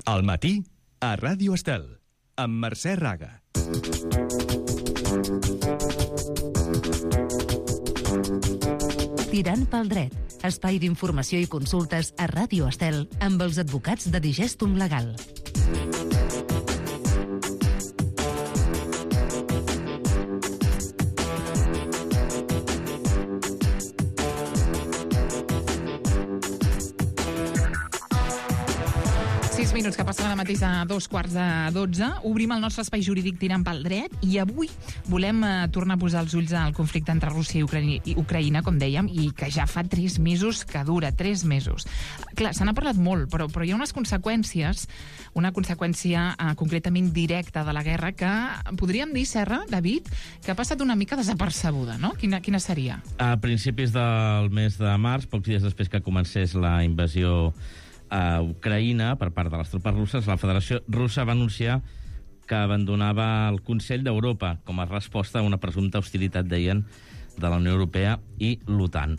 Al matí, a Ràdio Estel, amb Mercè Raga. Tirant pel dret, espai d'informació i consultes a Ràdio Estel amb els advocats de Digestum Legal. Minuts que passen ara mateix a 2:15. Obrim el nostre espai jurídic tirant pel dret i avui volem tornar a posar els ulls al conflicte entre Rússia i Ucraïna, com dèiem, i que ja fa 3 mesos que dura, 3 mesos. Clar, se n'ha parlat molt, però hi ha unes conseqüències, una conseqüència concretament directa de la guerra que podríem dir, Serra, David, que ha passat una mica desapercebuda, no? Quina seria? A principis del mes de març, pocs dies després que comencés la invasió a Ucraïna per part de les tropes russes, la Federació Russa va anunciar que abandonava el Consell d'Europa com a resposta a una presumpta hostilitat, deien, de la Unió Europea i l'OTAN.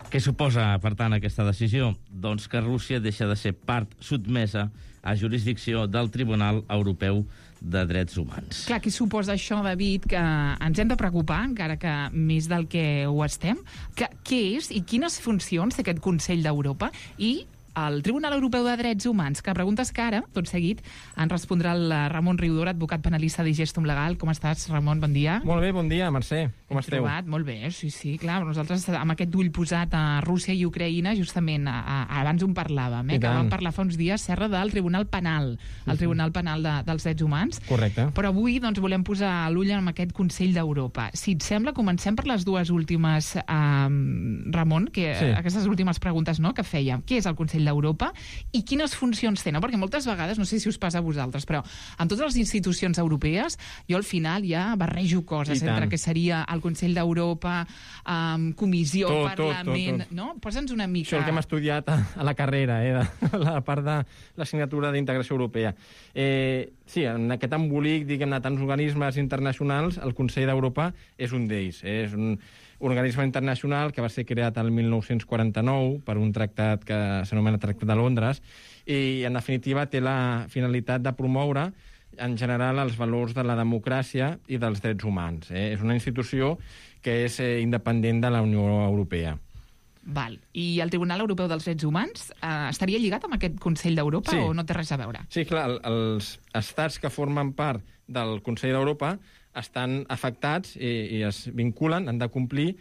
Què suposa, per tant, aquesta decisió? Doncs que Rússia deixa de ser part sotmesa a jurisdicció del Tribunal Europeu de Drets Humans. Clar, què suposa això, David, que ens hem de preocupar, encara que més del que ho estem? Què és i quines funcions té aquest Consell d'Europa? I el Tribunal Europeu de Drets Humans, que preguntes que ara, tot seguit, en respondrà el Ramon Riudor, advocat penalista de Digestum Legal. Com estàs, Ramon? Bon dia. Molt bé, bon dia, Mercè. Com esteu? Trobat, molt bé, sí, clar. Nosaltres, amb aquest ull posat a Rússia i Ucraïna, justament, abans en parlàvem, que vam parlar fa uns dies, Serra, del Tribunal Penal, el Tribunal Penal dels Drets Humans. Correcte. Però avui, doncs, volem posar l'ull en aquest Consell d'Europa. Si et sembla, comencem per les dues últimes, Ramon, aquestes últimes preguntes, no?, que fèiem. Què és el Consell d'Europa i quines funcions té, no? Perquè moltes vegades, no sé si us passa a vosaltres, però en totes les institucions europees jo al final ja barrejo coses entre que seria el Consell d'Europa, Comissió, Parlament... tot. No? Posa'ns una mica... Això el que hem estudiat a la carrera, la part de l'assignatura d'Integració Europea. Sí, en aquest embolic, diguem-ne, tants organismes internacionals, el Consell d'Europa és un d'ells. És un organisme internacional que va ser creat el 1949 per un tractat que s'anomena Tractat de Londres i, en definitiva, té la finalitat de promoure en general els valors de la democràcia i dels drets humans. És una institució que és independent de la Unió Europea. Val. I el Tribunal Europeu dels Drets Humans estaria lligat amb aquest Consell d'Europa o no té res a veure? Sí, clar, els estats que formen part del Consell d'Europa estan afectats i es vinculen, han de complir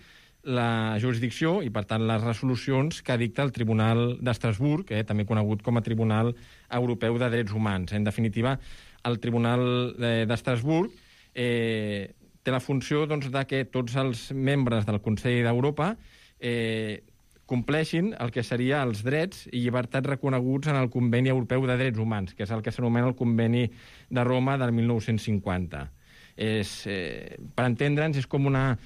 la jurisdicció i, per tant, les resolucions que dicta el Tribunal d'Estrasburg, també conegut com a Tribunal Europeu de Drets Humans. En definitiva, el Tribunal d'Estrasburg té la funció de que tots els membres del Consell d'Europa compleixin el que seria els drets i llibertats reconeguts en el Conveni Europeu de Drets Humans, que és el que s'anomena el Conveni de Roma del 1950. Per entendre'ns, és com una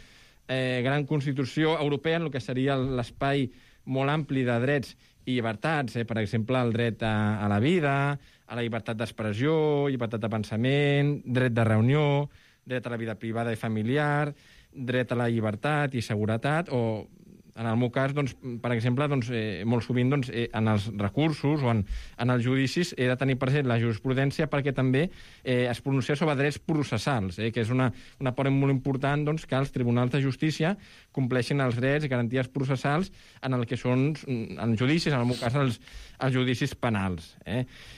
gran constitució europea en el que seria l'espai molt ampli de drets i llibertats, per exemple, el dret a la vida, a la llibertat d'expressió, llibertat de pensament, dret de reunió, dret a la vida privada i familiar, dret a la llibertat i seguretat, o en el meu cas, per exemple, molt sovint en els recursos o en els judicis he de tenir present la jurisprudència perquè també es pronuncia sobre drets processals, que és una part molt important que els tribunals de justícia compleixin els drets i garanties processals en el que són en judicis, en el meu cas els judicis penals.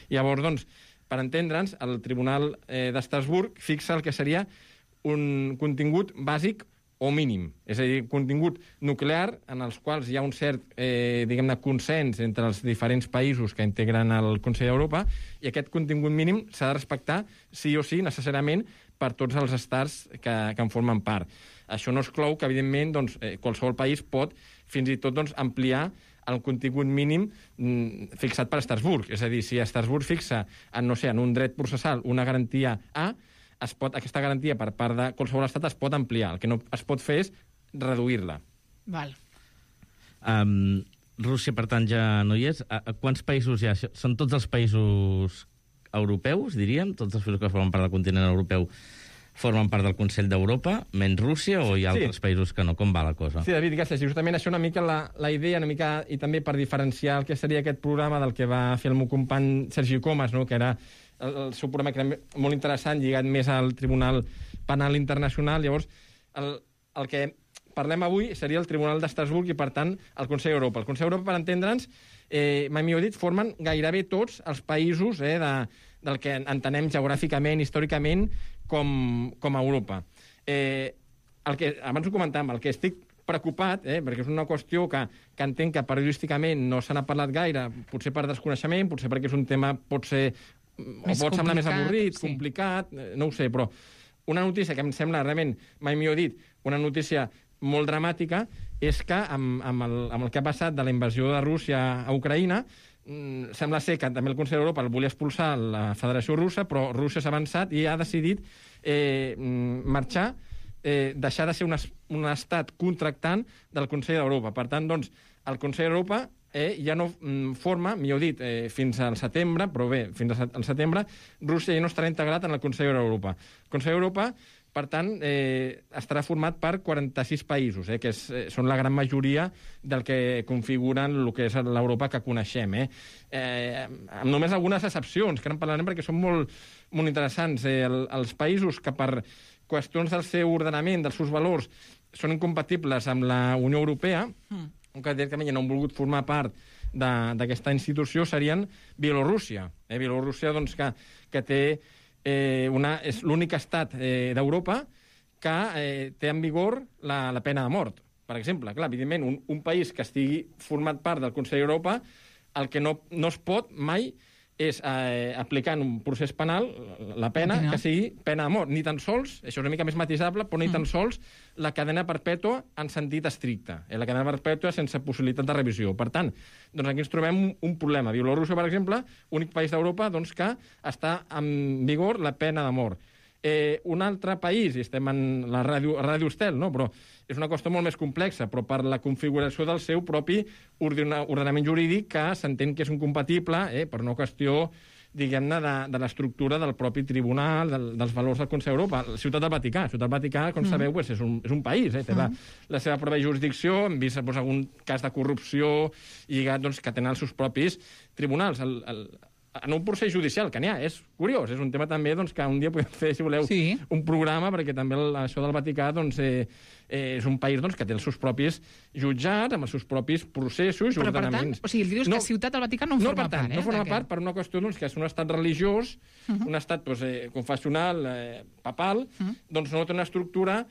Llavors, per entendre'ns, el Tribunal d'Estrasburg fixa el que seria un contingut bàsic o mínim, és a dir, contingut nuclear en els quals hi ha un cert, diguem-ne, consens entre els diferents països que integren el Consell d'Europa, i aquest contingut mínim s'ha de respectar sí o sí, necessàriament, per tots els estats que en formen part. Això no exclou que, evidentment, qualsevol país pot fins i tot ampliar el contingut mínim fixat per Estrasburg. És a dir, si Estrasburg fixa en un dret processal una garantia A, aquesta garantia per part de qualsevol estat es pot ampliar. El que no es pot fer és reduir-la. Val. Rússia, per tant, ja no hi és. A quants països hi ha? Són tots els països europeus, diríem? Tots els països que formen part del continent europeu formen part del Consell d'Europa, menys Rússia, o hi ha altres països que no? Com va la cosa? Sí, David, gràcies. Justament això una mica la idea, una mica, i també per diferenciar el que seria aquest programa del que va fer el meu company Sergi Comas, no? Que era el seu programa que era molt interessant, lligat més al Tribunal Penal Internacional. Llavors, el que parlem avui seria el Tribunal d'Estrasburg i, per tant, el Consell d'Europa. El Consell d'Europa, per entendre'ns, mai millor dit, formen gairebé tots els països del que entenem geogràficament, històricament, com a Europa. Abans ho comentàvem, el que estic preocupat, perquè és una qüestió que entenc que periodísticament no se n'ha parlat gaire, potser per desconeixement, potser perquè és un tema pot semblar més avorrit, complicat, no ho sé, però una notícia que em sembla realment, mai millor dit, una notícia molt dramàtica, és que amb el que ha passat de la invasió de Rússia a Ucraïna, sembla ser que també el Consell d'Europa el volia expulsar la Federació Russa, però Rússia s'ha avançat i ha decidit marxar, deixar de ser un estat contractant del Consell d'Europa. Per tant, doncs, el Consell d'Europa ja no forma, millor dit, fins al setembre, però bé, fins al setembre, Rússia ja no estarà integrat en el Consell d'Europa. El Consell d'Europa, per tant, estarà format per 46 països, que són la gran majoria del que configuren el que és l'Europa que coneixem. Amb només algunes excepcions, que en parlarem perquè són molt, molt interessants. Els països que per qüestions del seu ordenament, dels seus valors, són incompatibles amb la Unió Europea, que directament ja no han volgut formar part d'aquesta institució, serien Bielorússia. Bielorússia, doncs, que té és l'únic estat d'Europa que té en vigor la pena de mort. Per exemple, clar, evidentment, un país que estigui format part del Consell d'Europa, el que no es pot mai és aplicar en un procés penal la pena que sigui pena de mort. Ni tan sols, això és una mica més matisable, però ni tan sols la cadena perpètua en sentit estricte. La cadena perpètua sense possibilitat de revisió. Per tant, doncs aquí ens trobem un problema. Bielorússia, per exemple, únic país d'Europa doncs, que està en vigor la pena de mort. Un altre país, i estem en la Ràdio Estel, no? Però és una qüestió molt més complexa, però per la configuració del seu propi ordenament jurídic que s'entén que és incompatible per una qüestió, diguem-ne, de l'estructura del propi tribunal, dels valors del Consell d'Europa. La Ciutat del Vaticà. La Ciutat del Vaticà, com sabeu, és un país, té la seva pròpia jurisdicció, hem vist algun cas de corrupció lligat que tenen els seus propis tribunals. En un procés judicial, que n'hi ha, és curiós, és un tema també que un dia podem fer, si voleu, un programa, perquè també això del Vaticà és un país que té els seus propis jutjats, amb els seus propis processos i ordenaments. Per tant, o sigui, dius que Ciutat del Vaticà no en forma part, no forma part per una qüestió que és un estat religiós, un estat confessional, papal, doncs no té una estructura,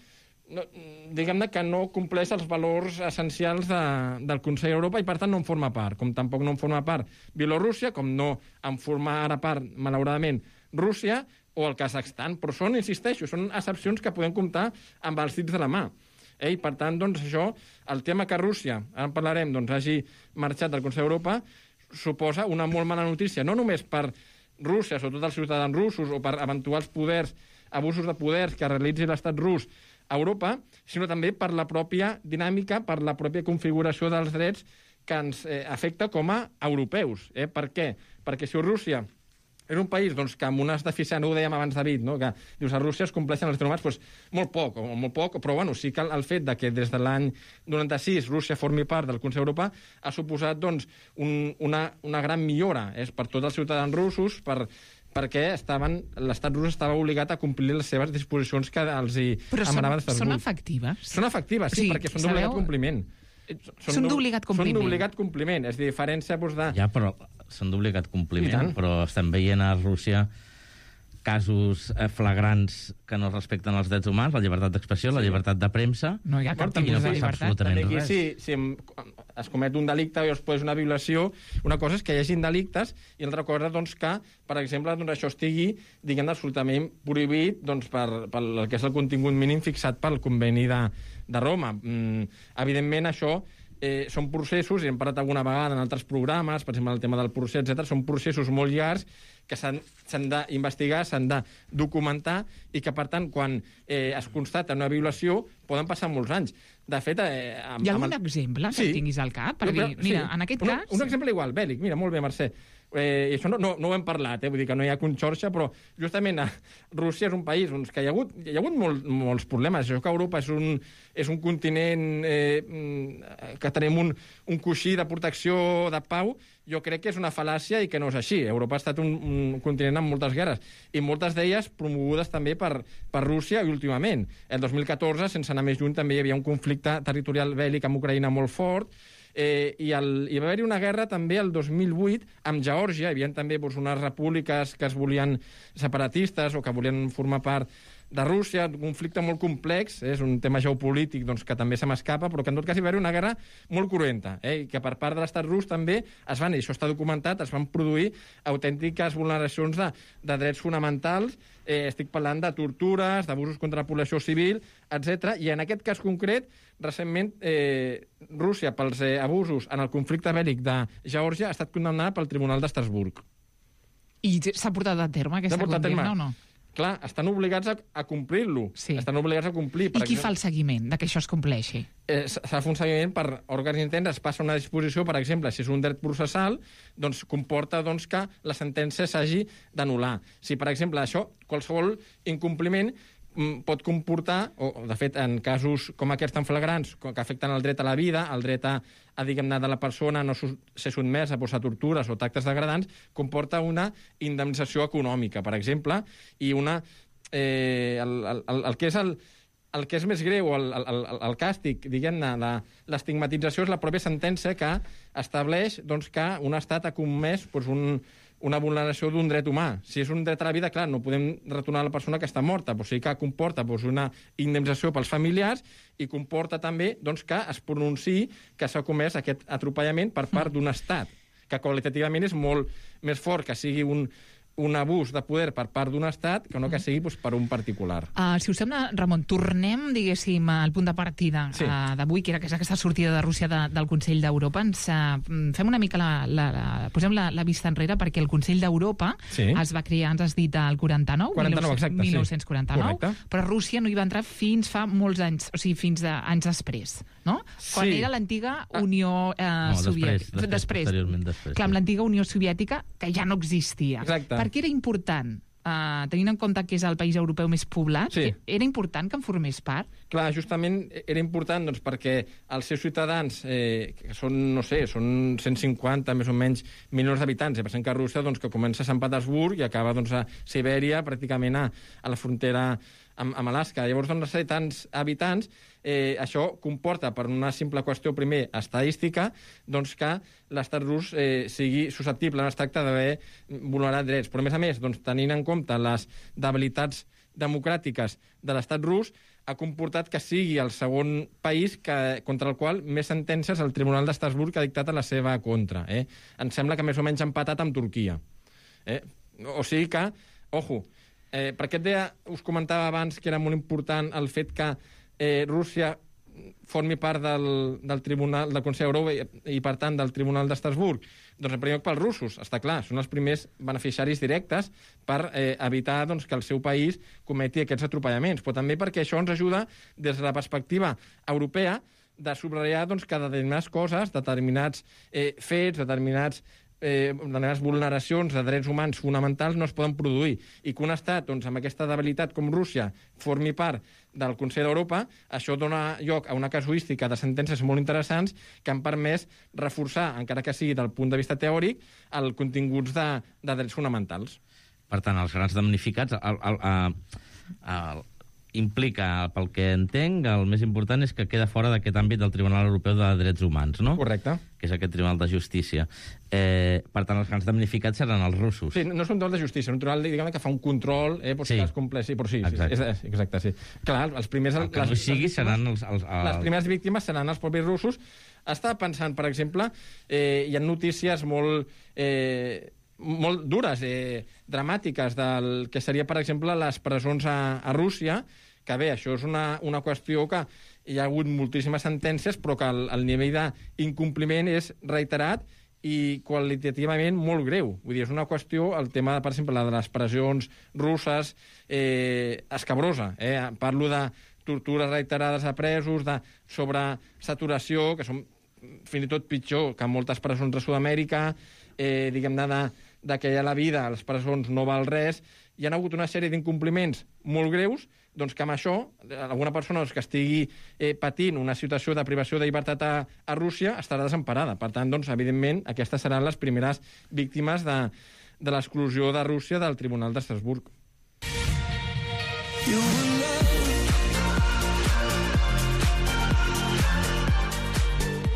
diguem-ne, que no compleix els valors essencials del Consell d'Europa i, per tant, no en forma part. Com tampoc no en forma part Bielorússia, com no en forma ara part, malauradament, Rússia o el Kazakhstan. Però insisteixo, són excepcions que podem comptar amb els dits de la mà. I, per tant, doncs, això, el tema que Rússia, ara en parlarem, hagi marxat del Consell d'Europa, suposa una molt mala notícia, no només per Rússia, sobretot els ciutadans russos, o per eventuals abusos de poders que realitzi l'estat rus a Europa, sinó també per la pròpia dinàmica, per la pròpia configuració dels drets que ens afecta com a europeus. Per què? Perquè si Rússia és un país que amb unes deficiències, ho dèiem abans, David, no? Que dius, a Rússia es compleixen els drets humans, molt poc, però bueno, sí que el fet que des de l'any 96 Rússia formi part del Consell d'Europa ha suposat una gran millora per tots els ciutadans russos, perquè l'estat rus estava obligat a complir les seves disposicions que els emanaven d'Estrasburg. Però són efectives? Són efectives, sí, perquè són d'obligat compliment. Són d'obligat compliment. Són d'obligat compliment, és a dir, diferència de... Ja, però són d'obligat compliment, però estem veient a Rússia casos flagrants que no respecten els drets humans, la llibertat d'expressió, la llibertat de premsa... No hi ha cap tipus de llibertat. Absolutament res. Si es comet un delicte o es produeix una violació, una cosa és que hi hagin delictes i l'altra cosa que, per exemple, això estigui, diguem, absolutament prohibit per el que és el contingut mínim fixat pel Conveni de Roma. Evidentment, això són processos, i hem parlat alguna vegada en altres programes, per exemple, el tema del procés, etc. Són processos molt llargs que s'han d'investigar, s'han de documentar i que, per tant, quan es constata una violació, poden passar molts anys. De fet... Hi ha algun exemple que tinguis al cap? Per dir, mira, en aquest cas... Un exemple igual, bèl·lic. Mira, molt bé, Mercè. I això no ho hem parlat, vull dir que no hi ha conxorxa, però justament Rússia és un país que hi ha hagut molts problemes. Això que Europa és un continent que tenim un coixí de protecció, de pau, jo crec que és una fal·làcia i que no és així. Europa ha estat un continent amb moltes guerres, i moltes d'elles promogudes també per Rússia i últimament. El 2014, sense anar més lluny, també hi havia un conflicte territorial bèl·lic amb Ucraïna molt fort, i va haver-hi una guerra també el 2008 amb Geòrgia. Hi havia també unes repúbliques que es volien separatistes o que volien formar part de Rússia, un conflicte molt complex, és un tema geopolític que també se m'escapa, però que en tot cas hi va haver una guerra molt cruenta, i que per part de l'estat rus també i això està documentat, es van produir autèntiques vulneracions de drets fonamentals. Estic parlant de tortures, d'abusos contra la població civil, etc. I en aquest cas concret, recentment, Rússia, pels abusos en el conflicte bèl·lic de Geòrgia, ha estat condemnada pel Tribunal d'Estrasburg. I s'ha portat a terme aquesta condemna o no? Clar, estan obligats a complir-lo. Sí. Estan obligats a complir. I qui fa el seguiment de que això es compleixi? S'ha de fer un seguiment per òrgans interns, es passa una disposició, per exemple, si és un dret processal, doncs comporta que la sentència s'hagi d'anul·lar. Si, per exemple, això, qualsevol incompliment pot comportar, o de fet en casos com aquests tan flagrants, que afecten el dret a la vida, el dret a diguem-ne, de la persona no ser sotmesa a tortures o tractes degradants, comporta una indemnització econòmica, per exemple, i el que és més greu, el càstig, diguem-ne, l'estigmatització és la pròpia sentència que estableix que un estat ha comès una vulneració d'un dret humà. Si és un dret a la vida, clar, no podem retornar a la persona que està morta, però sí que comporta una indemnització pels familiars i comporta també que es pronunciï que s'ha comès aquest atropellament per part d'un estat, que qualitativament és molt més fort que sigui un abús de poder per part d'un estat que no que sigui per un particular. Si us sembla, Ramon, tornem, diguéssim, al punt de partida d'avui, que era aquesta sortida de Rússia del Consell d'Europa. Fem una mica posem la vista enrere, perquè el Consell d'Europa es va crear, ens has dit, al 1949, però Rússia no hi va entrar fins fa molts anys, o sigui, fins anys després, no? Quan era l'antiga Unió Soviètica. Després. Clar, amb l'antiga Unió Soviètica, que ja no existia. Exacte. Per què era important, tenint en compte que és el país europeu més poblat, era important que en formés part? Clar, justament era important perquè els seus ciutadans, que són, no sé, són 150 més o menys milions d'habitants, pensem que Rússia, que comença a Sant Petersburg i acaba a Sibèria, pràcticament a la frontera amb Alaska. Llavors, ser tants habitants, això comporta, per una simple qüestió, primer, estadística, que l'estat rus sigui susceptible, no es tracta d'haver vulnerat drets. Però, a més, tenint en compte les debilitats democràtiques de l'estat rus, ha comportat que sigui el segon país contra el qual més sentències el Tribunal d'Estrasburg ha dictat a la seva contra. Em sembla que més o menys empatat amb Turquia. O sigui que, ojo, per aquest dia us comentava abans que era molt important el fet que Rússia formi part del Tribunal del Consell d'Europa i, per tant, del Tribunal d'Estrasburg. Doncs, en primer lloc, pels russos, està clar, són els primers beneficiaris directes per evitar que el seu país cometi aquests atropellaments, però també perquè això ens ajuda, des de la perspectiva europea, de subratllar que determinades coses, determinats fets, determinades vulneracions de drets humans fonamentals no es poden produir, i que un estat amb aquesta debilitat com Rússia formi part del Consell d'Europa, això dona lloc a una casuística de sentències molt interessants que han permès reforçar, encara que sigui del punt de vista teòric, els continguts de drets fonamentals. Per tant, els grans damnificats implica, pel que entenc, el més important és que queda fora d'aquest àmbit del Tribunal Europeu de Drets Humans, no? Correcte. Que és aquest Tribunal de Justícia. Per tant, els grans damnificats seran els russos. Sí, no és un tribunal de justícia, és un tribunal, diguem, que fa un control, si es compleix. Sí, però sí, exacte, sí. Clar, els primers... El que no sigui seran els... Les primeres víctimes seran els propis russos. Estava pensant, per exemple, hi ha notícies molt dures, dramàtiques, del que seria, per exemple, les presons a Rússia, que bé, això és una qüestió que hi ha hagut moltíssimes sentències, però que el nivell d'incompliment és reiterat i qualitativament molt greu. Vull dir, és una qüestió, el tema, per exemple, de les pressions russes, escabrosa. Parlo de tortures reiterades a presos, de sobresaturació, que són fins i tot pitjor que moltes presons de Sud-amèrica, diguem-ne, de que la vida a les presons no val res, hi ha hagut una sèrie d'incompliments molt greus, doncs que amb això, alguna persona que estigui patint una situació de privació de llibertat a Rússia estarà desemparada. Per tant, doncs, evidentment, aquestes seran les primeres víctimes de l'exclusió de Rússia del Tribunal d'Estrasburg.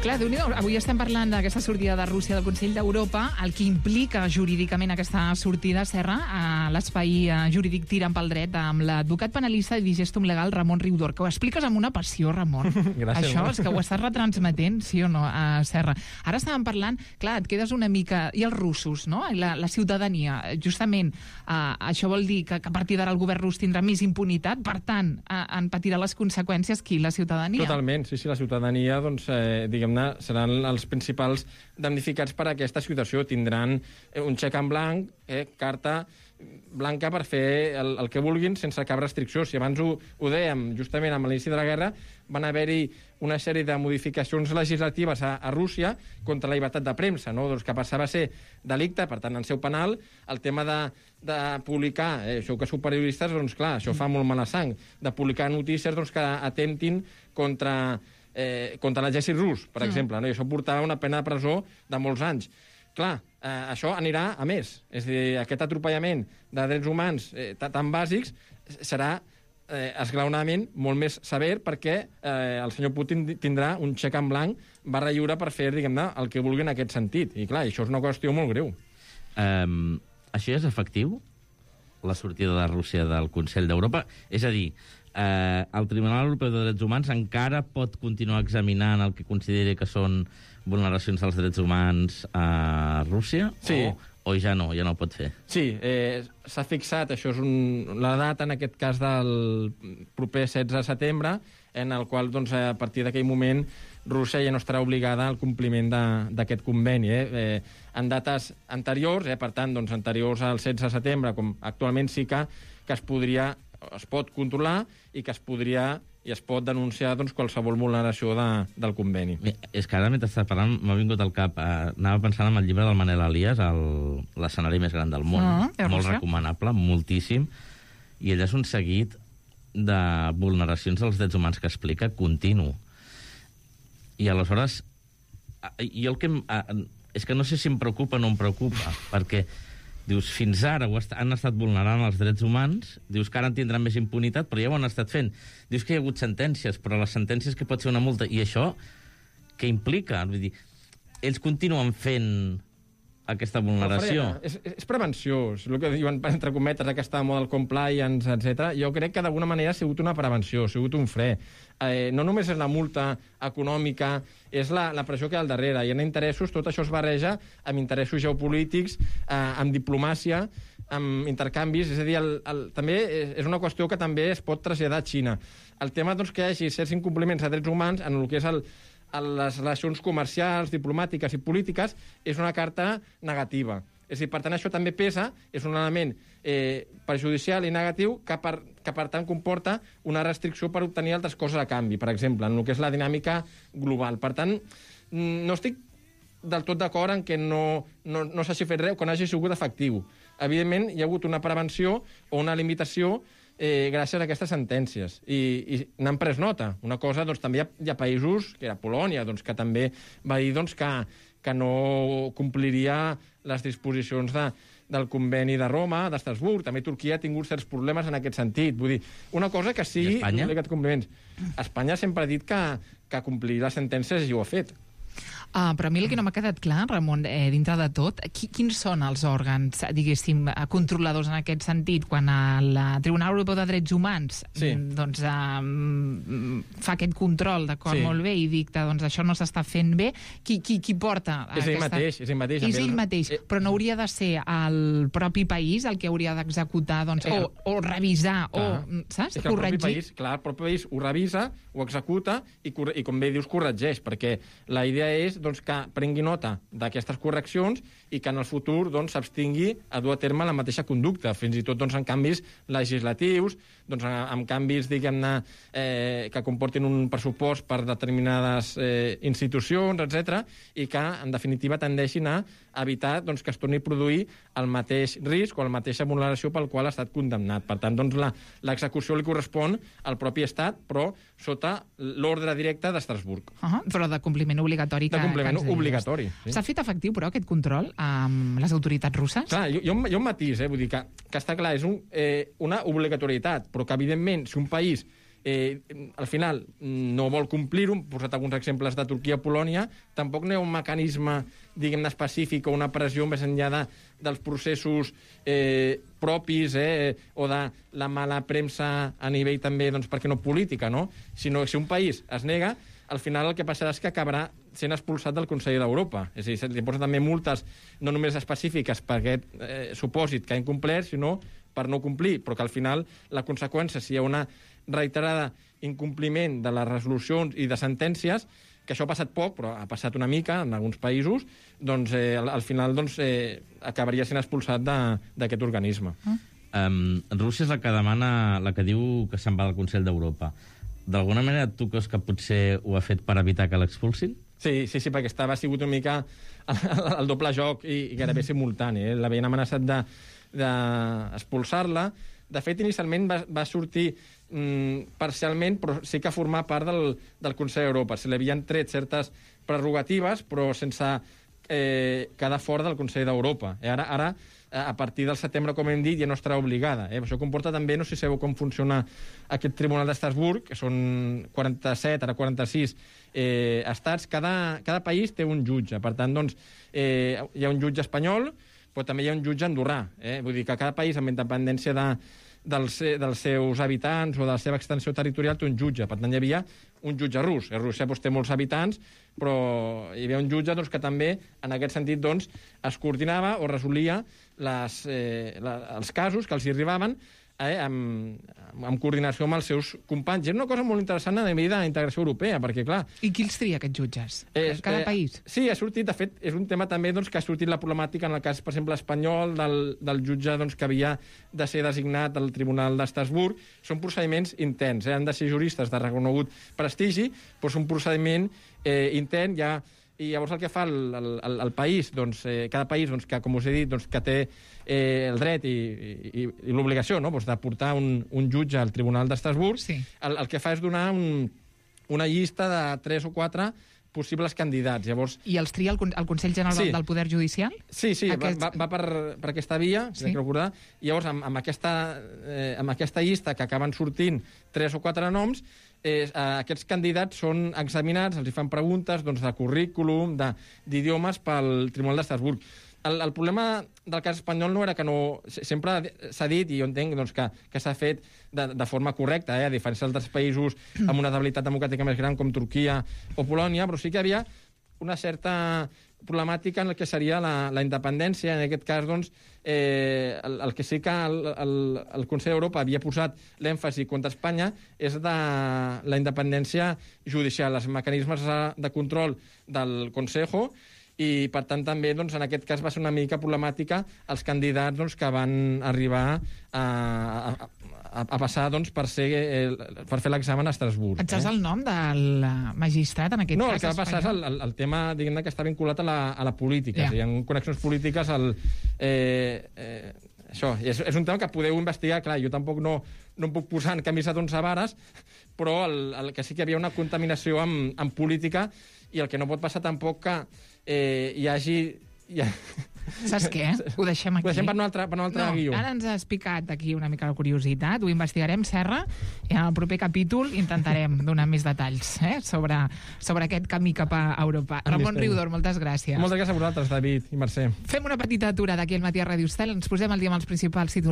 Clar, Déu-n'hi-do, avui estem parlant d'aquesta sortida de Rússia del Consell d'Europa, el que implica jurídicament aquesta sortida, Serra, a l'espai jurídic Tirant pel Dret, amb l'advocat penalista i Digestum Legal, Ramon Riudor, que ho expliques amb una passió, Ramon. Gràcies. Això és que ho estàs retransmetent, sí o no, Serra? Ara estàvem parlant, clar, et quedes una mica... I els russos, no? La ciutadania, justament, això vol dir que a partir d'ara el govern rus tindrà més impunitat, per tant, en patirà les conseqüències qui? La ciutadania? Totalment, sí, la ciutadania, doncs, diguem-ne, seran els principals damnificats per aquesta situació. Tindran un xec en blanc, carta blanca per fer el que vulguin sense cap restricció. Si abans ho dèiem, justament amb l'inici de la guerra, van haver-hi una sèrie de modificacions legislatives a Rússia contra la llibertat de premsa, no? Doncs que passava a ser delicte, per tant, en seu penal, el tema de publicar, això que sou periodistes, doncs clar, això fa molt mala sang, de publicar notícies doncs, que atentin contra l'exèrcit rus, per exemple, no? I això portava una pena de presó de molts anys. Clar, això anirà a més. És a dir, aquest atropellament de drets humans tan bàsics serà esglaonament molt més sever perquè el senyor Putin tindrà un xec en blanc barra lliure per fer, diguem-ne, el que vulgui en aquest sentit. I clar, això és una qüestió molt greu. Això és efectiu? La sortida de Rússia del Consell d'Europa? És a dir, el Tribunal Europeu de Drets Humans encara pot continuar examinant el que consideri que són vulneracions dels drets humans a Rússia? Sí. O ja no ho pot fer? Sí, s'ha fixat, això és la data, en aquest cas, del proper 16 de setembre, en el qual, doncs, a partir d'aquell moment, Rússia ja no estarà obligada al compliment d'aquest conveni. En dates anteriors, per tant, doncs, anteriors al 16 de setembre, com actualment sí que es pot controlar i que es pot denunciar doncs, qualsevol vulneració del conveni. És que ara, mentre estàs parlant, m'ha vingut al cap. Anava pensant en el llibre del Manel Elias, l'escenari més gran del món. Molt recomanable, moltíssim. I ell és un seguit de vulneracions dels drets humans que explica continu. I aleshores, jo és que no sé si em preocupa o no em preocupa, perquè dius, fins ara han estat vulnerant els drets humans, dius que ara en tindran més impunitat, però ja ho han estat fent. Dius que hi ha hagut sentències, però les sentències que pot ser una multa. I això què implica? Vull dir, ells continuen fent aquesta vulneració. És prevenció, és el que diuen, entre cometes, aquesta model compliance, etc. Jo crec que d'alguna manera ha sigut una prevenció, ha sigut un fre. No només és la multa econòmica, és la pressió que hi ha al darrere. Hi ha interessos, tot això es barreja amb interessos geopolítics, amb diplomàcia, amb intercanvis. És a dir, també és una qüestió que també es pot traslladar a Xina. El tema doncs, que hi hagi certs incompliments de drets humans en el que és les relacions comercials, diplomàtiques i polítiques, és una carta negativa. És a dir, per tant, això també pesa, és un element perjudicial i negatiu que per tant comporta una restricció per obtenir altres coses a canvi, per exemple, en el que és la dinàmica global. Per tant, no estic del tot d'acord en que no s'hagi fet res o que no hagi sigut efectiu. Evidentment, hi ha hagut una prevenció o una limitació gràcies a aquestes sentències. I n'han pres nota. Una cosa, doncs, també hi ha països, que era Polònia, doncs, que també va dir doncs, que no compliria les disposicions del conveni de Roma, d'Estrasburg. També Turquia ha tingut certs problemes en aquest sentit. Vull dir, una cosa que sí... I Espanya? Compliments. Espanya sempre ha dit que compliria les sentències i ho ha fet. Però a mi el que no m'ha quedat clar, Ramon, dintre de tot, quins són els òrgans, diguéssim, controladors en aquest sentit, quan el Tribunal Europeu de Drets Humans doncs, fa aquest control, d'acord, molt bé, i dicta, doncs això no s'està fent bé, qui porta és ell mateix. És ell mateix, però no hauria de ser el propi país el que hauria d'executar, doncs, o revisar, saps? És que el propi país ho revisa, ho executa i com bé dius, corregeix, perquè la idea és doncs, que prengui nota d'aquestes correccions i que en el futur s'abstingui a dur a terme la mateixa conducta, fins i tot en canvis legislatius, amb canvis, diguem-ne, que comportin un pressupost per determinades institucions, etc., i que, en definitiva, tendeixin a evitar que es torni a produir el mateix risc o la mateixa vulneració pel qual ha estat condemnat. Per tant, l'execució li correspon al propi Estat, però sota l'ordre directe d'Estrasburg. Però de compliment obligatori. De compliment obligatori. S'ha fet efectiu, però, aquest control amb les autoritats russes? Clar, hi ha un matís, vull dir que està clar, és una obligatorietat, però que, evidentment, si un país al final no vol complir-ho, hem posat alguns exemples de Turquia o Polònia, tampoc no hi ha un mecanisme, diguem-ne, específic o una pressió més enllà dels processos propis o de la mala premsa a nivell també, perquè no política, no? Sinó que si un país es nega, al final el que passarà és que acabarà sent expulsat del Consell d'Europa. És a dir, li posen també multes no només específiques per aquest supòsit que ha incomplert, sinó per no complir, però que al final la conseqüència, si hi ha una reiterada incompliment de les resolucions i de sentències, que això ha passat poc, però ha passat una mica en alguns països, al final acabaria sent expulsat d'aquest organisme. Rússia és la que demana, la que diu que se'n va del Consell d'Europa. D'alguna manera tu creus que potser ho ha fet per evitar que l'expulsin? Sí, perquè ha sigut una mica el doble joc i gairebé simultani. L'havien amenaçat d'expulsar-la. De fet, inicialment va sortir parcialment, però sí que formar part del Consell d'Europa. Se li havien tret certes prerrogatives, però sense quedar fora del Consell d'Europa. Ara, a partir del setembre, com hem dit, ja no estarà obligada. Això comporta també, no sé si sabeu com funciona aquest Tribunal d'Estrasburg, que són 47, ara 46 estats. Cada país té un jutge. Per tant, hi ha un jutge espanyol, però també hi ha un jutge andorrà. Vull dir que cada país, amb independència dels seus habitants o de la seva extensió territorial, té un jutge. Per tant, hi havia un jutge rus. Rússia té molts habitants, però hi havia un jutge que també, en aquest sentit, es coordinava o resolia els casos que els hi arribaven en coordinació amb els seus companys. És una cosa molt interessant a nivell d'integració europea, perquè, clar... I qui els tria, aquests jutges? Cada país? Sí, ha sortit, de fet, és un tema també que ha sortit la problemàtica en el cas, per exemple, espanyol, del jutge que havia de ser designat al Tribunal d'Estrasburg. Són procediments interns, han de ser juristes de reconegut prestigi, però és un procediment intern, i llavors el que fa el país, cada país, que, com us he dit, que té el dret i l'obligació de portar un jutge al Tribunal d'Estrasburg, sí. El que fa és donar una llista de 3 o 4 possibles candidats. Llavors, I els tria el Consell General del Poder Judicial? Sí, va per aquesta via, si sí. Recordar. I llavors, amb aquesta llista que acaben sortint 3 o 4 noms, aquests candidats són examinats, els hi fan preguntes de currículum, d'idiomes pel Tribunal d'Estrasburg. El problema del cas espanyol no era que no... Sempre s'ha dit, i jo entenc que s'ha fet de forma correcta, a diferència d'altres països amb una estabilitat democràtica més gran com Turquia o Polònia, però sí que hi havia una certa problemàtica en el que seria la independència. En aquest cas, el que sí que el Consell d'Europa havia posat l'èmfasi contra Espanya és de la independència judicial, els mecanismes de control del Consejo, i, per tant, també, en aquest cas, va ser una mica problemàtica els candidats que van arribar a passar per fer l'examen a Estrasburg. Et saps el nom del magistrat, en aquest cas? No, el que va passar és el tema, diguem-ne, que està vinculat a la política. Yeah. Hi ha connexions polítiques això, és un tema que podeu investigar. Clar, jo tampoc no em puc posar en camisa d'11 vares, però el que sí que hi havia una contaminació amb política, i el que no pot passar tampoc que hi hagi... Saps què? Ho deixem aquí. Ho deixem per un altre guió. Ara ens has picat aquí una mica la curiositat, ho investigarem, Serra, i en el proper capítol intentarem donar més detalls sobre aquest camí cap a Europa. Ramon Riudor, moltes gràcies. Moltes gràcies a vosaltres, David i Mercè. Fem una petita aturada aquí al Matí a Ràdio Estel, ens posem al dia amb els principals titulars.